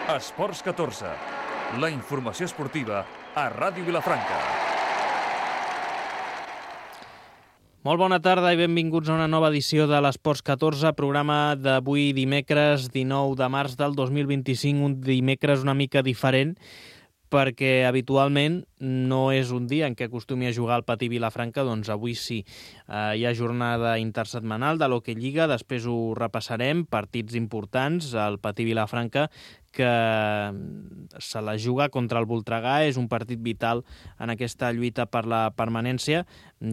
Esports 14, la informació esportiva a Ràdio Vilafranca. Molt bona tarda i benvinguts a una nova edició de l'Esports 14, programa d'avui dimecres 19 de març del 2025, un dimecres una mica diferent, perquè habitualment no és un dia en què acostumi a jugar al Patí Vilafranca, doncs avui sí. Hi ha jornada intersetmanal de l'Hockey Lliga, després ho repassarem, partits importants al Patí Vilafranca, que se la juga contra el Voltregà, és un partit vital en aquesta lluita per la permanència,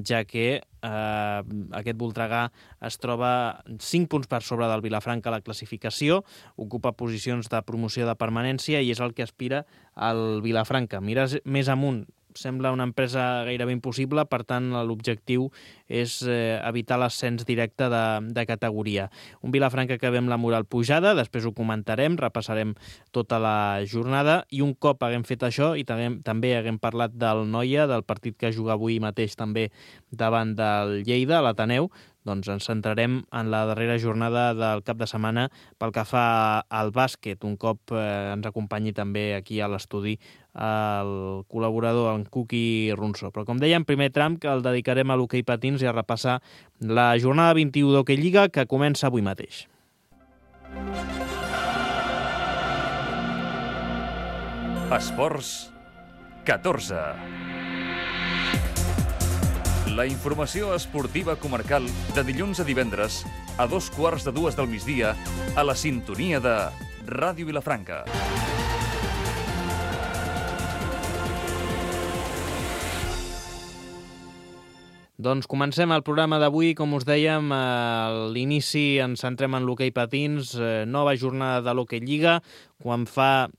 ja que aquest Voltregà es troba 5 punts per sobre del Vilafranca a la classificació, ocupa posicions de promoció de permanència i és el que aspira al Vilafranca. Mires més amunt, sembla una empresa gairebé impossible, per tant l'objectiu és evitar l'ascens directe de categoria. Un Vilafranca que ve amb la moral pujada, després ho comentarem, repassarem tota la jornada i un cop haguem fet això i també haguem parlat del Noia, del partit que juga avui mateix també davant del Lleida, l'Ateneu, doncs ens centrarem en la darrera jornada del cap de setmana pel que fa al bàsquet, un cop ens acompanyi també aquí a l'estudi el col·laborador, en Cuqui Ronso. Però com dèiem, primer tram que el dedicarem a l'hoquei patins i a repassar la jornada 21 d'Hockey Lliga que comença avui mateix. Esports 14. La informació esportiva comarcal de dilluns a divendres a 2:15 del migdia a la sintonia de Ràdio Vilafranca. Doncs comencem el programa d'avui, com us dèiem, a l'inici ens centrem en l'hoquei patins, nova jornada de l'Hockey Lliga, quan fa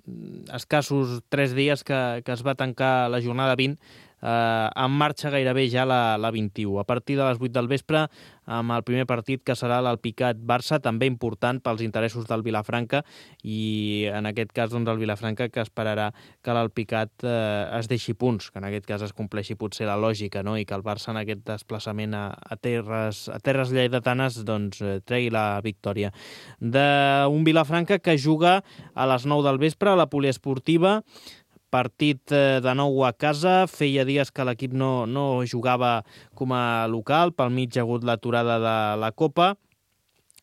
escassos 3 dies que es va tancar la jornada 20, en marxa gairebé ja la 21. A partir de les 8 del vespre, amb el primer partit que serà l'Alpicat-Barça, també important pels interessos del Vilafranca, i en aquest cas doncs, el Vilafranca que esperarà que l'Alpicat es deixi punts, que en aquest cas es compleixi potser la lògica, no? I que el Barça en aquest desplaçament a terres lleidatanes doncs, tregui la victòria. D'un Vilafranca que juga a les 9 del vespre a la poliesportiva, partit de nou a casa, feia dies que l'equip no jugava com a local, pel mig hi ha hagut l'aturada de la Copa,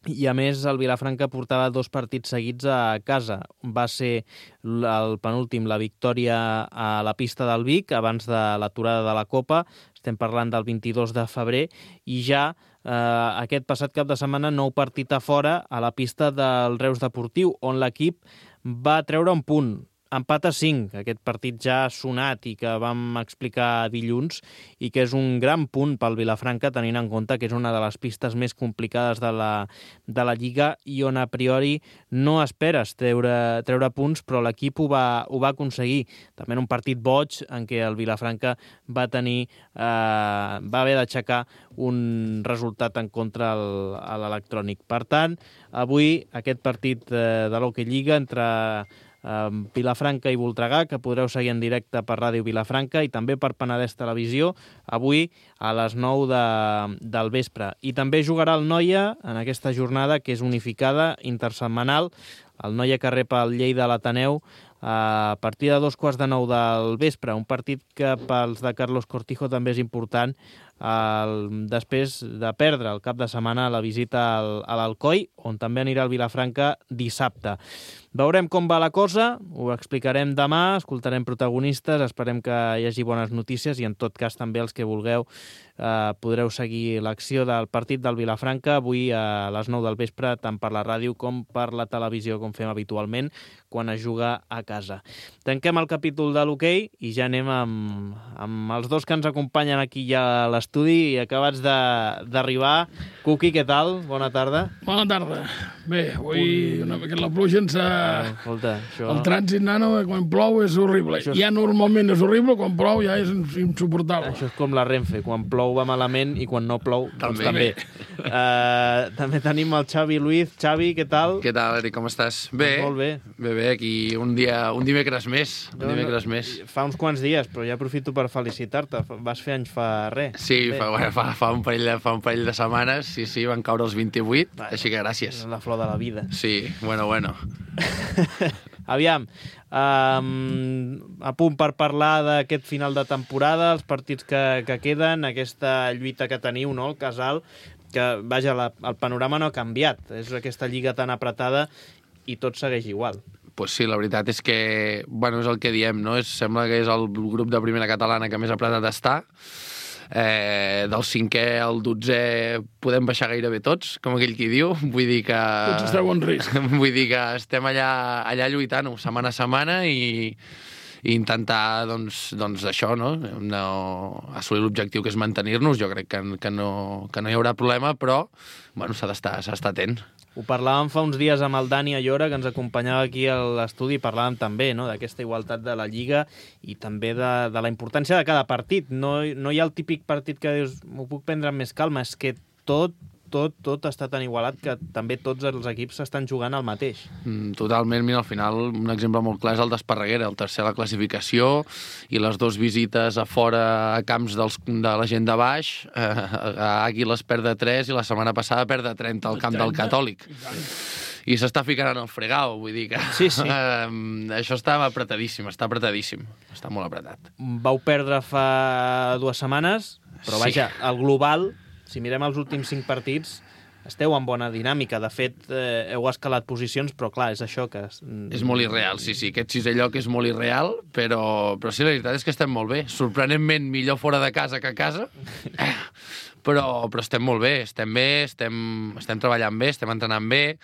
i a més el Vilafranca portava 2 partits seguits a casa. Va ser el penúltim, la victòria a la pista del Vic, abans de l'aturada de la Copa, estem parlant del 22 de febrer, i ja aquest passat cap de setmana nou partit a fora a la pista del Reus Deportiu, on l'equip va treure un punt. Empat a 5, aquest partit ja sonat i que vam explicar dilluns, i que és un gran punt pel Vilafranca, tenint en compte que és una de les pistes més complicades de la Lliga i on a priori no esperes treure punts, però l'equip ho va aconseguir. També en un partit boig en què el Vilafranca va haver d'aixecar un resultat en contra a l'Electrònic. Per tant, avui aquest partit de l'Hockey Lliga entre Vilafranca i Voltregà, que podreu seguir en directe per Ràdio Vilafranca i també per Penedès Televisió, avui a les 9 del vespre. I també jugarà el Noia en aquesta jornada, que és unificada, intersetmanal, el Noia que rep el Lleida a l'Ateneu a partir de 2:15 del vespre, un partit que pels de Carlos Cortijo també és important després de perdre el cap de setmana la visita a l'Alcoi, on també anirà el Vilafranca dissabte. Veurem com va la cosa, ho explicarem demà, escoltarem protagonistes, esperem que hi hagi bones notícies i en tot cas també els que vulgueu podreu seguir l'acció del partit del Vilafranca avui a les 9 del vespre, tant per la ràdio com per la televisió, com fem habitualment quan es juga a casa. Tanquem el capítol de l'hoquei i ja anem amb els dos que ens acompanyen aquí ja a l'estudi, acabats d'arribar. Cuqui, què tal? Bona tarda. Bona tarda. Bé, avui una mica la pluja ens escolta, això... El trànsit, nano, quan plou és horrible. Ja normalment és horrible, quan plou ja és insuportable. Això és com la Renfe, quan plou va malament i quan no plou, doncs també. També tenim el Xavi Luiz. Xavi, què tal? Què tal, Eric, com estàs? Bé. Molt bé. Bé, aquí un dimecres més. Fa uns quants dies, però ja aprofito per felicitar-te. Vas fer anys fa res. Sí, fa un parell de setmanes, sí, van caure els 28, així que gràcies. La flor de la vida. Sí, bueno. Aviam, a punt per parlar d'aquest final de temporada, els partits que queden, aquesta lluita que teniu, no?, el Casal, que, vaja, el panorama no ha canviat. És aquesta lliga tan apretada i tot segueix igual. Pues sí, la veritat és que, bueno, és el que diem, no? Sembla que és el grup de primera catalana que més apretat està. Del 5è al 12è podem baixar gairebé tots, com aquell qui diu. Vull dir que... Tots esteu en risc. Vull dir que estem allà lluitant-ho setmana a setmana i intentar, doncs això, no? Assolir l'objectiu que és mantenir-nos. Jo crec que no hi haurà problema, però bueno, s'ha d'estar atent. Ho parlàvem fa uns dies amb el Dani Ayora, que ens acompanyava aquí a l'estudi, i parlàvem també, no?, d'aquesta igualtat de la Lliga i també de la importància de cada partit. No hi ha el típic partit que dius, m'ho puc prendre amb més calma, és que tot està tan igualat que també tots els equips s'estan jugant al mateix. Totalment. Mira, al final, un exemple molt clar és el d'Esparreguera, el tercer a la classificació, i les 2 visites a fora a camps de la gent de baix. A Àguiles perd de 3 i la setmana passada perd de 30 al camp del Catòlic. I s'està ficant en el fregau, vull dir que... Sí. Això està apretadíssim. Està molt apretat. Vau perdre fa 2 setmanes, però vaja, el global... Si mirem els últims 5 partits, esteu en bona dinàmica. De fet, heu escalat posicions, però clar, és això que... És molt irreal, sí. Aquest 6è lloc és molt irreal, però sí, la veritat és que estem molt bé. Sorprenentment millor fora de casa que a casa, però estem molt bé. Estem treballant bé, estem entrenant bé.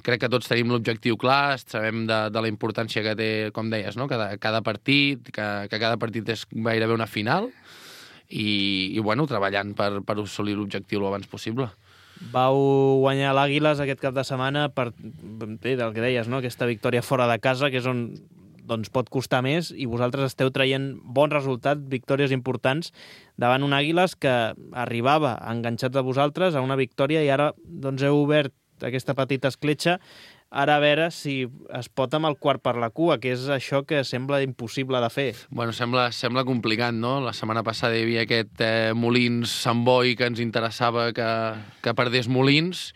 Crec que tots tenim l'objectiu clar, sabem de la importància que té, com deies, no?, cada partit, que cada partit és gairebé una final, i bueno, treballant per assolir l'objectiu el abans possible. Vau guanyar l'Àguiles aquest cap de setmana per, bé, del que deies, no?, aquesta victòria fora de casa, que és on doncs, pot costar més, i vosaltres esteu traient bons resultats, victòries importants, davant un Àguiles que arribava enganxats a vosaltres a una victòria i ara doncs, heu obert aquesta petita escletxa. Ara a veure si es pot amb el quart per la cua, que és això que sembla impossible de fer. Bueno, sembla complicat, no? La setmana passada hi havia aquest Molins-Sant Boi que ens interessava que perdés Molins,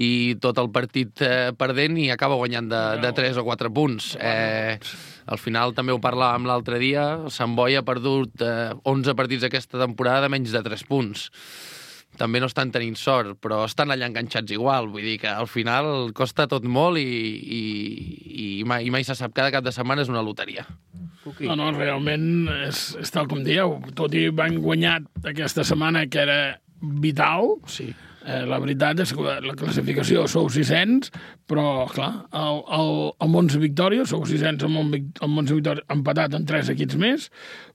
i tot el partit perdent i acaba guanyant de 3 o 4 punts. Al final també ho parlàvem l'altre dia, el Sant Boi ha perdut 11 partits aquesta temporada menys de 3 punts. També no estan tenint sort, però estan allà enganxats igual. Vull dir que al final costa tot molt i mai se sap. Cada cap de setmana és una loteria. No, realment és tal com dieu. Tot i van guanyat aquesta setmana, que era vital. Sí. La veritat és que la classificació sou 600, però, clar, amb 11 victòries, sou 600 amb 11 victòries, empatat en 3 equips més,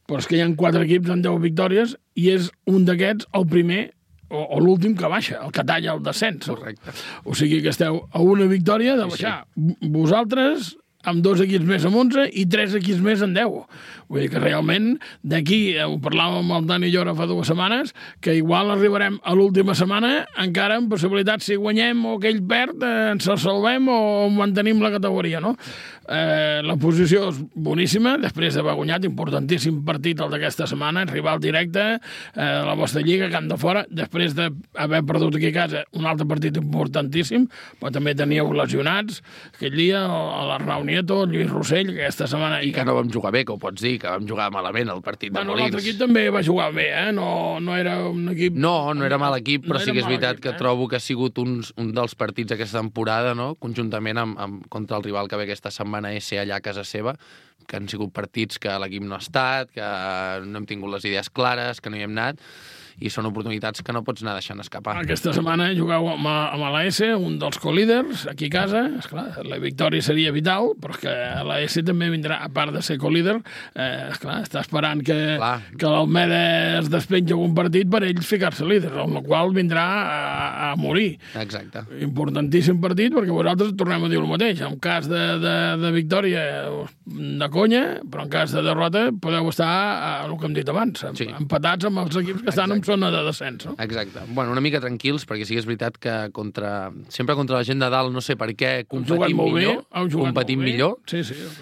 però és que hi ha 4 equips amb 10 victòries i és un d'aquests el primer o l'últim que baixa, el que talla el descens. Correcte. O sigui que esteu a una victòria de baixar. Sí. Vosaltres amb 2 equips més amb 11 i 3 equips més en 10. Vull dir que realment d'aquí, ho parlàvem amb el Dani Llora fa 2 setmanes, que igual arribarem a l'última setmana encara amb possibilitat, si guanyem o aquell perd, ens salvem o mantenim la categoria, no? La posició és boníssima, després d'haver guanyat, importantíssim partit el d'aquesta setmana, rival directe, la vostra lliga, camp de fora, després d'haver perdut aquí a casa un altre partit importantíssim, però també teníeu lesionats aquell dia, l'Arnau Nieto, el Lluís Rossell, aquesta setmana... I que no vam jugar bé, que ho pots dir, que vam jugar malament el partit de Molins. L'altre equip també va jugar bé, no era un equip... No era mal equip, però sí que és veritat que trobo que ha sigut un dels partits d'aquesta temporada, no?, conjuntament contra el rival que ve aquesta setmana ese allà a casa seva, que han sigut partits que l'equip no ha estat, que no hem tingut les idees clares, que no hi hem anat, i són oportunitats que no pots anar deixant escapar. Aquesta setmana jugueu amb l'AS, un dels co-líders, aquí a casa. Esclar, la victòria seria vital, però que l'AS també vindrà, a part de ser co-líder, està esperant que l'Almeda es despenja un partit per ells ficar-se líder, amb la qual vindrà a morir. Exacte. Importantíssim partit, perquè vosaltres tornem a dir el mateix. En cas de victòria, de conya, però en cas de derrota podeu estar, el que hem dit abans, empatats amb els equips que estan en zona de descens, no? Exacte. Bueno, una mica tranquils, perquè sí que és veritat que sempre contra la gent de dalt, no sé per què, competim millor. Sí.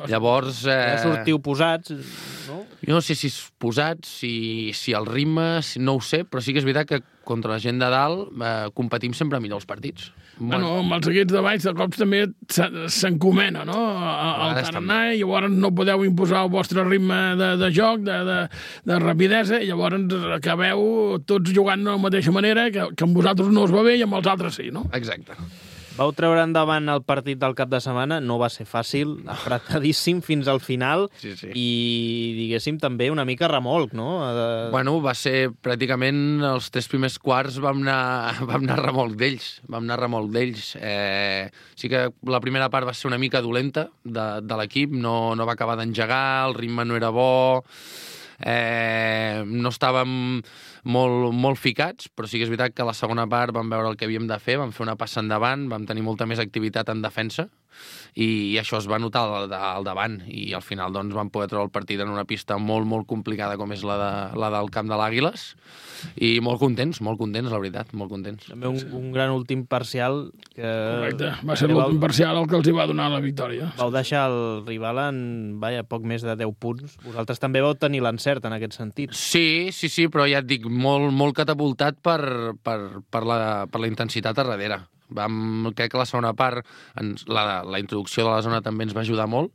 Llavors... Ja sortiu posats, no? Jo no sé si és posats, si el ritme, no ho sé, però sí que és veritat que contra la gent de dalt competim sempre millor els partits. Bueno, amb els equips de baix de cops també s'encomena, no? El tarannà, i llavors no podeu imposar el vostre ritme de joc, de rapidesa, i llavors acabeu tots jugant de la mateixa manera, que amb vosaltres no us va bé i amb els altres sí, no? Exacte. Vau treure endavant el partit del cap de setmana, no va ser fàcil, apretadíssim fins al final, Sí. i, diguéssim, també una mica remolc, no? Bueno, va ser pràcticament els 3 primers quarts vam anar a remolc d'ells. Sí que la primera part va ser una mica dolenta de l'equip, no va acabar d'engegar, el ritme no era bo, no estàvem molt ficats, però sí que és veritat que a la segona part vam veure el que havíem de fer, vam fer una passa endavant, vam tenir molta més activitat en defensa, i això es va notar al davant, i al final doncs, vam poder treure el partit en una pista molt complicada com és la del camp de l'Àguiles, i molt contents, la veritat, molt contents. També un gran últim parcial que... Correcte, va ser l'últim parcial el que els hi va donar la victòria. Vau deixar el rival en, poc més de 10 punts. Vosaltres també vau tenir l'encert en aquest sentit. Sí, però ja et dic, molt catapultat per la intensitat a darrere. Crec que la segona part, la introducció de la zona també ens va ajudar molt,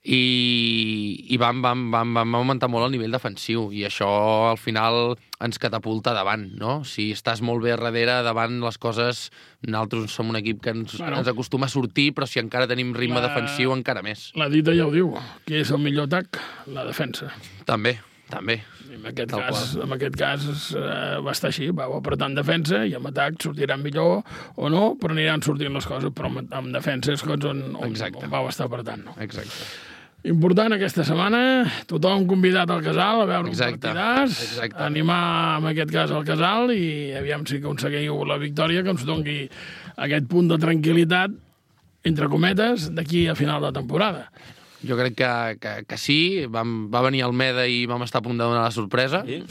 i vam augmentar molt el nivell defensiu, i això al final ens catapulta davant, no? Si estàs molt bé a darrere, davant les coses, nosaltres som un equip que ens acostuma a sortir, però si encara tenim ritme defensiu, encara més. La dita ja ho diu, qui és el millor atac? La defensa. També. I en aquest cas va estar així, vau apretar en defensa, i amb atac sortiran millor o no, però aniran sortint les coses, però amb defensa és on vau estar apretant. No? Exacte. Important aquesta setmana, tothom convidat al Casal a veure un partidàs, animar en aquest cas al Casal, i aviam si aconseguiu la victòria, que ens doni aquest punt de tranquil·litat, entre cometes, d'aquí a final de temporada. Jo crec que sí, va venir Almeda i vam estar a punt de donar la sorpresa. Sí,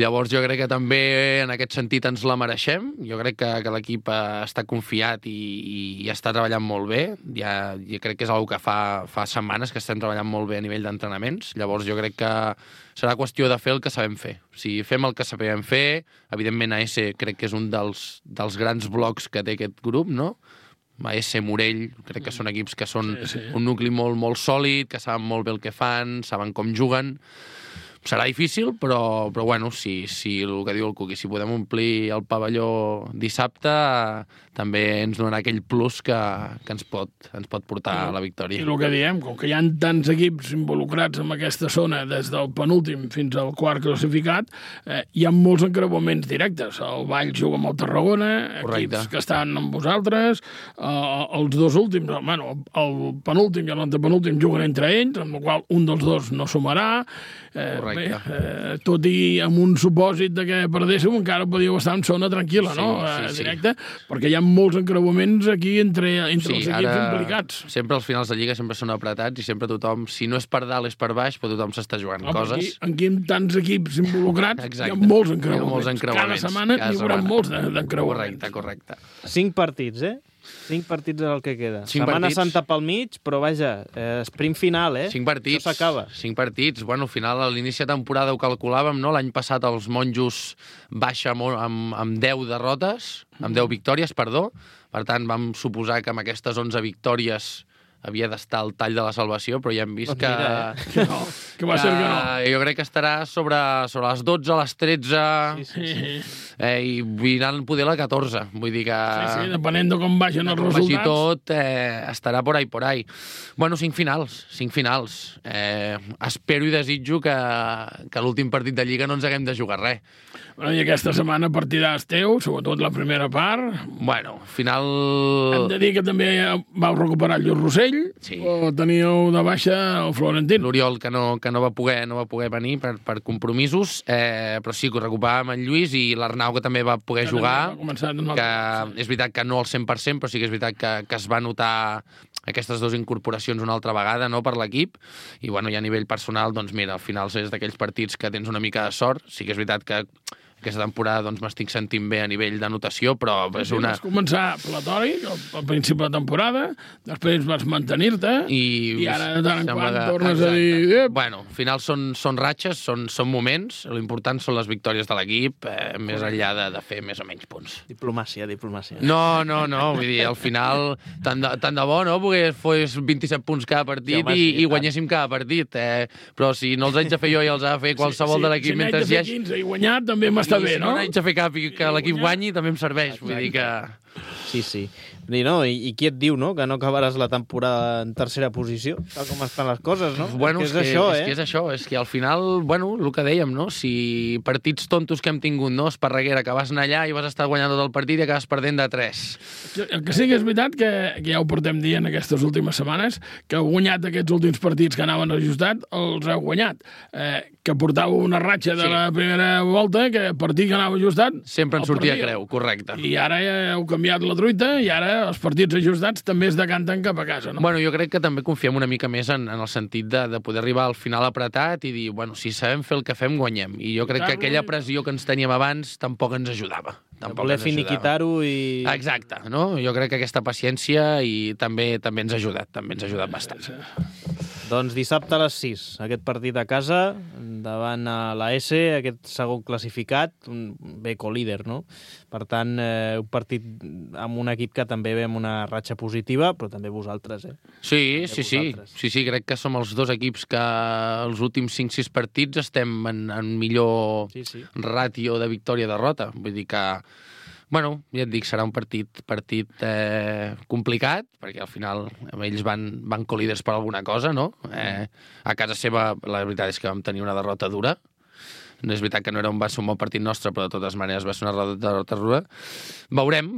llavors jo crec que també en aquest sentit ens la mereixem. Jo crec que l'equip està confiat i està treballant molt bé. Jo crec que és una que fa setmanes que estem treballant molt bé a nivell d'entrenaments. Llavors jo crec que serà qüestió de fer el que sabem fer. Si fem el que sabem fer, evidentment AS crec que és un dels grans blocs que té aquest grup, no? AS, Morell, crec que són equips que són un nucli molt sòlid, que saben molt bé el que fan, saben com juguen. Serà difícil, però bueno, si el que diu el Cuqui, si podem omplir el pavelló dissabte, també ens donarà aquell plus que ens pot portar a la victòria. I el que diem, com que hi ha tants equips involucrats en aquesta zona, des del penúltim fins al quart classificat, hi ha molts encreuaments directes. El Valls juga amb el Tarragona, equips que estan amb vosaltres, els dos últims, el penúltim i l'antepenúltim juguen entre ells, amb la qual un dels dos no sumarà. Tot i amb un supòsit de que perdéssiu, encara podíeu estar en zona tranquil·la, directe, perquè hi ha molts encreuaments aquí entre els equips implicats. Sempre els finals de Lliga sempre són apretats i sempre tothom, si no és per dalt és per baix, però tothom s'està jugant coses. Aquí amb tants equips involucrats hi ha molts encreuaments. Cada setmana hi haurà molts d'encreuaments. Correcte. 5 partits, 5 partits és el que queda. Setmana Santa pel mig, però vaja, sprint final, 5 partits. Això s'acaba. 5 partits. Bueno, al final, a l'inici de temporada ho calculàvem, no? L'any passat els monjos baixa amb 10 derrotes, amb 10 victòries, perdó. Per tant, vam suposar que amb aquestes 11 victòries havia d'estar al tall de la salvació, però ja hem vist que va ser que no. Jo crec que estarà sobre les 12, les 13, i aniran poder la 14. Vull dir que... Sí, depenent de com vagin els resultats. Vagi tot, estarà por ahí. Bueno, 5 finals. Espero i desitjo que l'últim partit de Lliga no ens haguem de jugar res. Bueno, i aquesta setmana partidàs teu, sobretot la primera part. Bueno, final... Hem de dir que també vau recuperar el Lluís Rossell, o teníeu de baixa el Florentín. L'Oriol, que no va poder venir per compromisos, però sí que ho recuperàvem el Lluís, i l'Arnau, que també va poder jugar, que és veritat que no al 100%, però sí que és veritat que es va notar aquestes dues incorporacions una altra vegada, no, per l'equip, i bueno, i a nivell personal, doncs mira, al final és d'aquells partits que tens una mica de sort. Sí que és veritat que aquesta temporada doncs, m'estic sentint bé a nivell d'anotació, però és una... Vas començar platòric al principi de la temporada, després vas mantenir-te i ara de tant en quant tornes a dir... Bueno, al final són ratxes, són moments, l'important són les victòries de l'equip, més enllà de fer més o menys punts. Diplomàcia. No, vull dir, al final, tant de bo, no?, perquè fos 27 punts cada partit i guanyéssim cada partit, però si no els haig de fer jo i els ha de fer qualsevol de l'equip mentre hi hagi... Si n'haig de fer 15 i guanyar, també m'està bé, no? Si no n'haig de fer cap i que l'equip guanyi, també em serveix, vull dir que... Sí. I qui et diu, no?, que no acabaràs la temporada en tercera posició, tal com estan les coses, no? Bueno, és que al final, bueno, el que dèiem, no?, si partits tontos que hem tingut, no?, Esparreguera, que vas anar allà i vas estar guanyant tot el partit i acabes perdent de 3. El que sí que és veritat, que ja ho portem dient aquestes últimes setmanes, que heu guanyat aquests últims partits que anaven ajustat, els heu guanyat. Que portàveu una ratxa de la primera volta, que el partit que anava ajustat... Sempre en sortia creu, correcte. I ara ja heu canviat la truita i ara els partits ajustats també es decanten cap a casa, no? Bueno, jo crec que també confiem una mica més en el sentit de poder arribar al final apretat i dir, bueno, si sabem fer el que fem, guanyem. I jo crec que aquella pressió que ens teníem abans tampoc ens ajudava. Voler finiquitar-ho i... Exacte, no? Jo crec que aquesta paciència i també ens ha ajudat bastant. Doncs dissabte a les 6, aquest partit a casa, davant a la S, aquest segon classificat, bé co-líder, no? Per tant, un partit amb un equip que també ve amb una ratxa positiva, però també vosaltres, Sí, crec que som els dos equips que els últims 5-6 partits estem en millor ràtio de victòria-derrota. Vull dir que... Bueno, ja et dic, serà un partit complicat, perquè al final ells van co-líders per alguna cosa, no? A casa seva, la veritat és que vam tenir una derrota dura. No és veritat que va ser un bon partit nostre, però de totes maneres va ser una derrota dura. Veurem.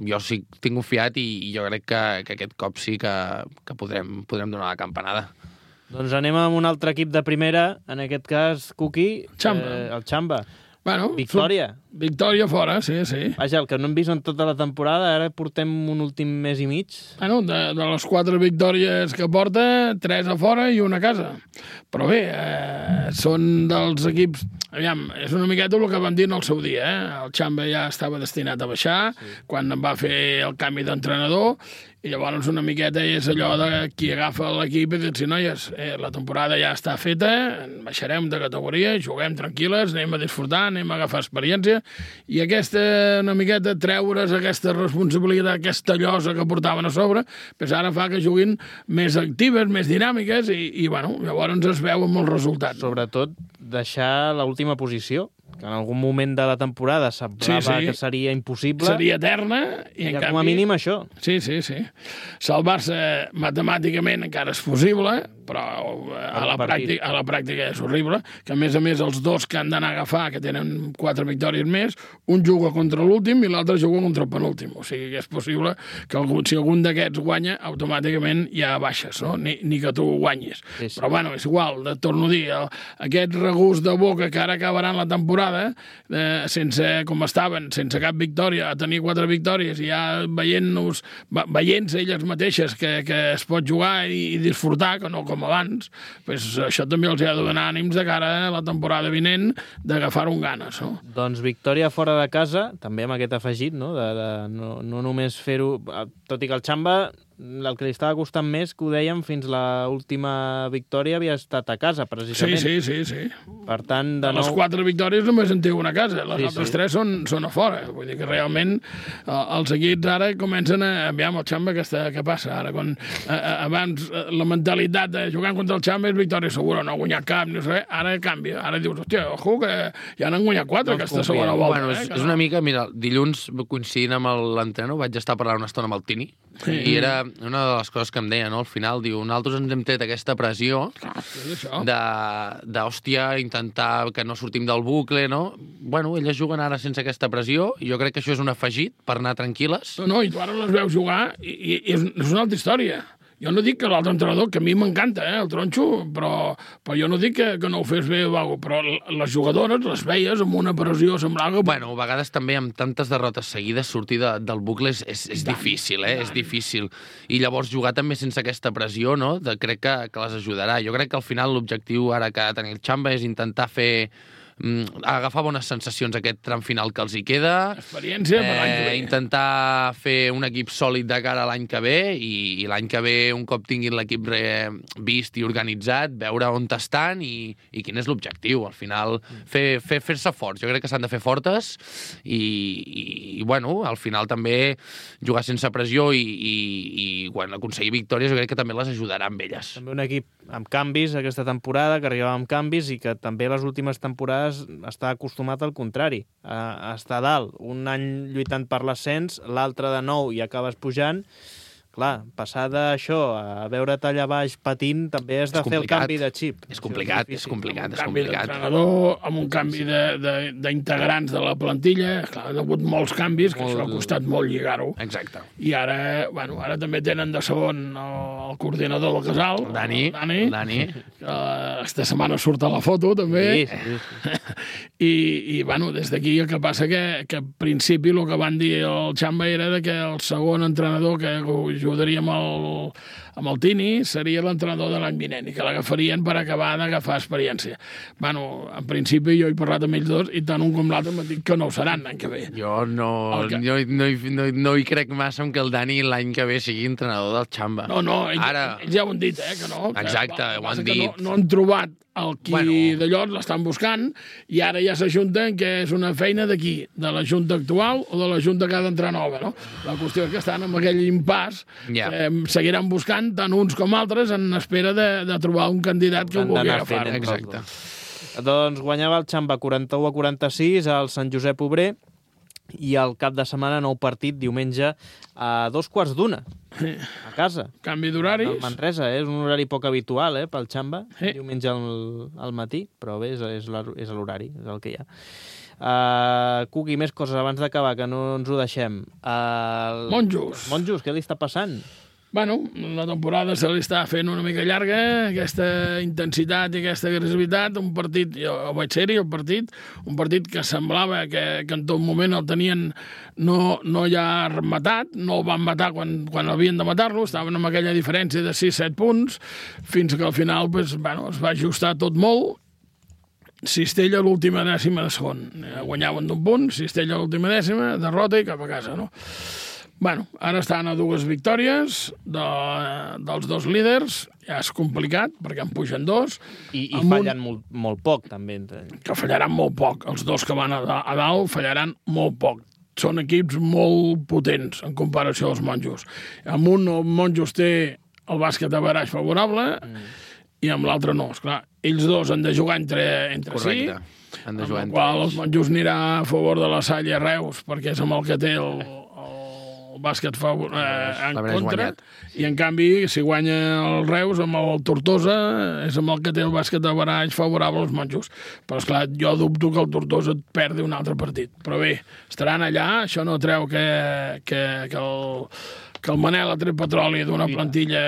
Jo sí tinc confiat i jo crec que aquest cop sí que podrem donar la campanada. Doncs anem amb un altre equip de primera, en aquest cas, Cuqui, el Xamba. Bueno, Victòria. Victòria fora, sí. Vaja, el que no hem vist en tota la temporada, ara portem un últim mes i mig. Bueno, de les 4 victòries que porta, 3 a fora i una a casa. Però bé, són dels equips... Aviam, és una miqueta el que vam dir en el seu dia, El Xamba ja estava destinat a baixar, quan en va fer el canvi d'entrenador, i llavors una miqueta és allò de qui agafa l'equip i dir, noies, la temporada ja està feta, baixarem de categoria, juguem tranquil·les, anem a disfrutar, anem a agafar experiència, i aquesta, una miqueta, treure's aquesta responsabilitat, aquesta llosa que portaven a sobre, doncs ara fa que juguin més actives, més dinàmiques, i bueno, llavors es veu amb els resultats. Sobretot deixar l'última posició, que en algun moment de la temporada semblava que seria impossible. Seria eterna. I en canvi, com a mínim això. Sí. Salvar-se matemàticament encara és possible, però a la pràctica és horrible, que a més els dos que han d'anar a agafar, que tenen 4 victòries més, un juga contra l'últim i l'altre juga contra el penúltim. O sigui que és possible que si algun d'aquests guanya, automàticament ja baixes, no? Ni que tu guanyis. Sí. Però bueno, és igual, torno a dir, aquest regust de boca que ara acabaran la temporada, sense com estaven, sense cap victòria, a tenir 4 victòries i ja veient-se elles mateixes que es pot jugar i disfrutar, que no com abans, doncs això també els ha de donar ànims de cara a la temporada vinent d'agafar-ho amb ganes, no? Doncs victòria fora de casa, també amb aquest afegit, no? No només fer-ho... Tot i que el Xamba, el que li estava costant més, que ho dèiem, fins l'última victòria havia estat a casa, precisament. Sí. Per tant, de nou... Les 4 victòries només en té una a casa, les altres 3 són a fora. Vull dir que realment els equips ara comencen a... Aviam, el Xamba què passa ara? Quan abans la mentalitat de jugar contra el Xamba és victòria segura, no ha guanyat cap, no sé, ara canvia. Ara dius, hòstia, ojo, que ja n'han guanyat 4 aquesta segona volta. Bueno, és una mica... Mira, dilluns, coincidint amb l'entrenador, vaig estar parlant una estona amb el Tini, i era una de les coses que em deia, no? Al final, diu, nosaltres ens hem tret aquesta pressió d'hòstia, intentar que no sortim del bucle, no? Bueno, elles juguen ara sense aquesta pressió, i jo crec que això és un afegit per anar tranquil·les. No, i tu ara les veus jugar i és una altra història. Jo no dic que l'altre entrenador, que a mi m'encanta, el Tronxo, però jo no dic que no ho fes bé o alguna cosa, però les jugadores les veies amb una pressió semblava... Bueno, a vegades també amb tantes derrotes seguides sortir del bucle és difícil, és difícil. I llavors jugar també sense aquesta pressió, no? Crec que les ajudarà. Jo crec que al final l'objectiu ara que ha de tenir el Xamba és intentar fer agafar bones sensacions aquest tram final que els hi queda. Experiència per l'any que ve. Intentar fer un equip sòlid de cara a l'any que ve i l'any que ve, un cop tinguin l'equip vist i organitzat, veure on estan i quin és l'objectiu. Al final, fer-se forts. Jo crec que s'han de fer fortes i bueno, al final també jugar sense pressió i quan aconseguir victòries jo crec que també les ajudarà amb elles. També un equip amb canvis aquesta temporada, que arribava amb canvis i que també les últimes temporades està acostumat al contrari, a estar dalt. Un any lluitant per l'ascens, l'altre de nou i acabes pujant. Clar, passar d'això a veure't allà baix patint també has de fer el canvi de xip. És complicat. Canvi d'entrenador, amb un canvi d'integrants de la plantilla. Clar, ha hagut molts canvis, que això ha costat molt lligar-ho. Exacte. I ara també tenen de segon el coordinador del casal, Dani. Que aquesta setmana surt a la foto, també. Sí. I des d'aquí el que passa que al principi el que van dir el Xamba era que el segon entrenador que ajudaria amb el Tini seria l'entrenador de l'any vinent i que l'agafarien per acabar d'agafar experiència. En principi jo he parlat amb ells dos i tant un com l'altre m'han dit que no ho seran l'any que ve. Jo no hi crec massa en que el Dani l'any que ve sigui entrenador del Xamba. No, ells ja ho han dit, que no. Exacte, ho han dit. No han trobat el qui d'allò l'estan buscant i ara ja s'ajunten que és una feina d'aquí, de la junta actual o de la junta que ha d'entrar nova, no? La qüestió és que estan en aquell impàs que seguiran buscant tant uns com altres en espera de trobar un candidat que ho vulgui agafar. Exacte. Doncs guanyava el Xamba 41-46 al Sant Josep Obrer i al cap de setmana nou partit diumenge a 2:15 a casa. Canvi d'horaris. El Manresa, és un horari poc habitual pel Xamba, diumenge al matí, però bé, és l'horari, és el que hi ha. Cuqui, més coses abans d'acabar, que no ens ho deixem. Monjos, què li està passant? La temporada se li està fent una mica llarga, aquesta intensitat i aquesta agressivitat, un partit, jo vaig ser-hi al partit, un partit que semblava que en tot moment el tenien no ja rematat, no el van matar quan havien de matar-lo, estaven amb aquella diferència de 6-7 punts, fins que al final es va ajustar tot molt. Cistella l'última dècima de segon. Guanyaven d'un punt, Cistella l'última dècima, derrota i cap a casa, no? Ara estan a 2 victòries dels 2 líders, ja és complicat, perquè en pugen 2. I fallen molt poc, també. Que fallaran molt poc. Els 2 que van a dalt fallaran molt poc. Són equips molt potents en comparació als Monjos. Amb un, el Monjos té el bàsquet a baraix favorable i amb l'altre no. Esclar, ells dos han de jugar entre Correcte. Sí, amb el qual els Monjos anirà a favor de la Salle Reus, perquè és amb el que té el bàsquet en contra, i en canvi, si guanya el Reus amb el Tortosa, és amb el que té el bàsquet de baralls favorable als Monjos. Però, esclar, jo dubto que el Tortosa et perdi un altre partit. Però bé, estaran allà, això no treu que el Manel ha tret petroli d'una plantilla...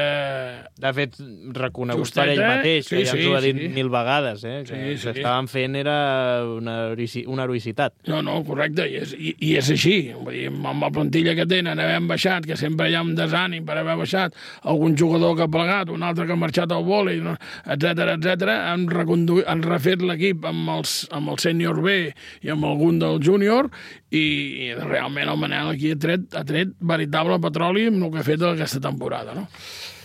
De fet, reconegut per ell mateix, que ja ens ho ha dit 1000 vegades, que el que estaven fent era una heroïcitat. No, correcte, i és així. Vull dir, amb la plantilla que tenen, havent baixat, que sempre hi ha un desànim per haver baixat, algun jugador que ha plegat, un altre que ha marxat al vòlei, etc. Han refet l'equip amb el sènior B i amb algun del júnior, i realment el Manel aquí ha tret veritable petroli amb el que ha fet aquesta temporada, no?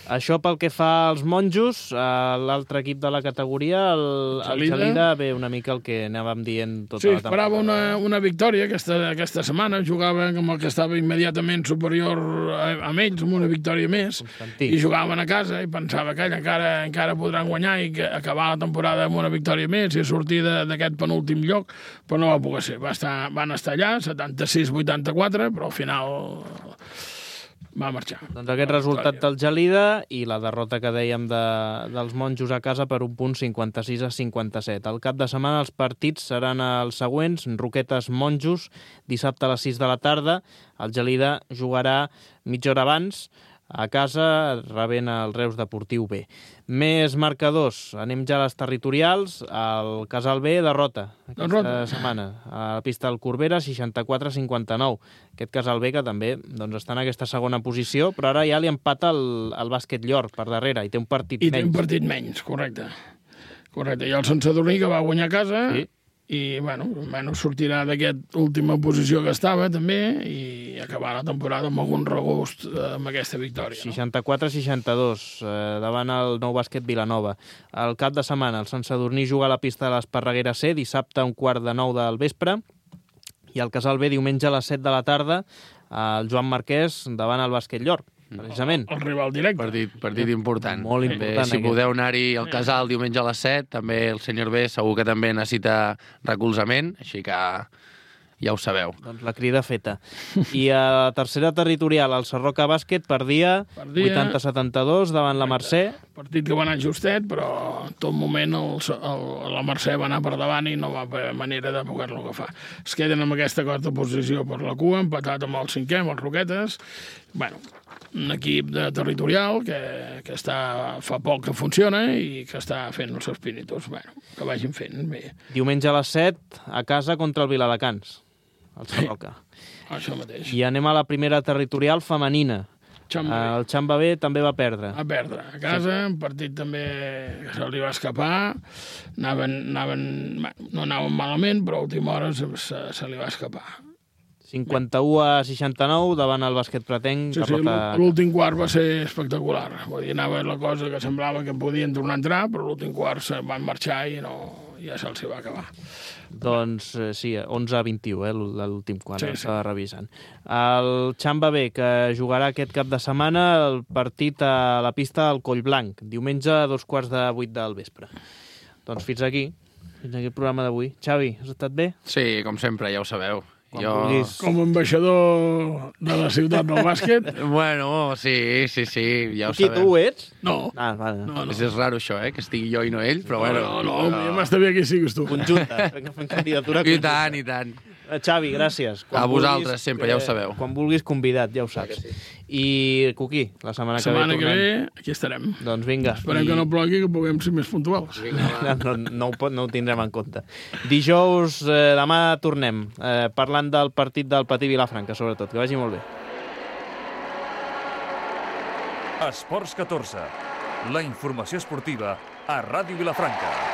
Això pel que fa als Monjos, l'altre equip de la categoria, el Gelida, ve una mica el que anàvem dient tota la temporada. Sí, esperava una victòria aquesta setmana, jugava amb el que estava immediatament superior a ells, amb una victòria més, Constantí. I jugaven a casa i pensava que encara podran guanyar i acabar la temporada amb una victòria més i sortir d'aquest penúltim lloc, però no va poder ser. Van estar allà, 76-84, però al final va marxar. Doncs aquest resultat del Gelida i la derrota que dèiem dels Monjos a casa per un punt 56-57. Al cap de setmana els partits seran els següents: Roquetes Monjos, dissabte a les 6 de la tarda. El Gelida jugarà mitja hora abans a casa, rebent el Reus Deportiu B. Més marcadors, anem ja a les territorials. El Casal B, derrota aquesta setmana. A la pista del Corbera, 64-59. Aquest Casal B que també està en aquesta segona posició, però ara ja li empata el Bàsquet Llor per darrere i té un partit menys. I té un partit menys, correcte. I el Sant Sadurní, que va guanyar a casa, i almenys sortirà d'aquesta última posició que estava també i acabar la temporada amb algun regust amb aquesta victòria. 64-62 davant el Nou Bàsquet Vilanova. El cap de setmana el Sant Sadurní juga a la pista de l'Esparreguera C dissabte a 8:45 del vespre i el Casal B diumenge a les 7 de la tarda el Joan Marquès davant el Bàsquet Llor. Precisament. El rival directe. Partit important. Molt important. Si podeu anar-hi al Casal diumenge a les 7, també el senyor B segur que també necessita recolzament, així que ja ho sabeu. Doncs la crida feta. I a tercera territorial, el Sarroca Bàsquet perdia 80-72 davant la Mercè. Partit que va anar justet, però en tot moment la Mercè va anar per davant i no va haver manera de poder-lo agafar. Es queden amb aquesta quarta posició per la cua, empatat amb el cinquè, amb els Roquetes. Un equip territorial que fa poc que funciona i que està fent els seus pinitos. Que vagin fent bé. Diumenge a les 7, a casa contra el Viladecans, el Sarroca. Això mateix. I anem a la primera territorial femenina. El Xamba B també va perdre. Va perdre a casa, un partit també que se li va escapar. No anaven malament, però a última hora se li va escapar. 51-69 davant el Bàsquet Pretenc. L'últim quart va ser espectacular. Vull dir, anava la cosa que semblava que podien tornar a entrar, però l'últim quart se van marxar i ja se'ls va acabar. Doncs sí, 11-21, l'últim quart, s'estava revisant. El Xamba B, que jugarà aquest cap de setmana el partit a la pista del Collblanc, diumenge a 7:45 del vespre. Doncs fins aquí el programa d'avui. Xavi, has estat bé? Sí, com sempre, ja ho sabeu. Com a ambaixador de la ciutat del bàsquet. Bueno, sí, ja ho sabem. Qui, tu ho ets? No. Vale. No. És raro això, que estigui jo i no ell, però bueno. No, m'està bé que siguis tu. Conjunta, fem candidatura conjunta. I tant. Xavi, gràcies. A vosaltres, sempre, ja ho sabeu. Quan vulguis convidat, ja ho saps. I Cuquí, la setmana que ve tornem. La setmana que ve, aquí estarem. Doncs vinga. Esperem que no plogui, que puguem ser més puntuals. No ho tindrem en compte. Dijous, demà tornem, parlant del partit del Patí Vilafranca, sobretot. Que vagi molt bé. Esports 14. La informació esportiva a Ràdio Vilafranca.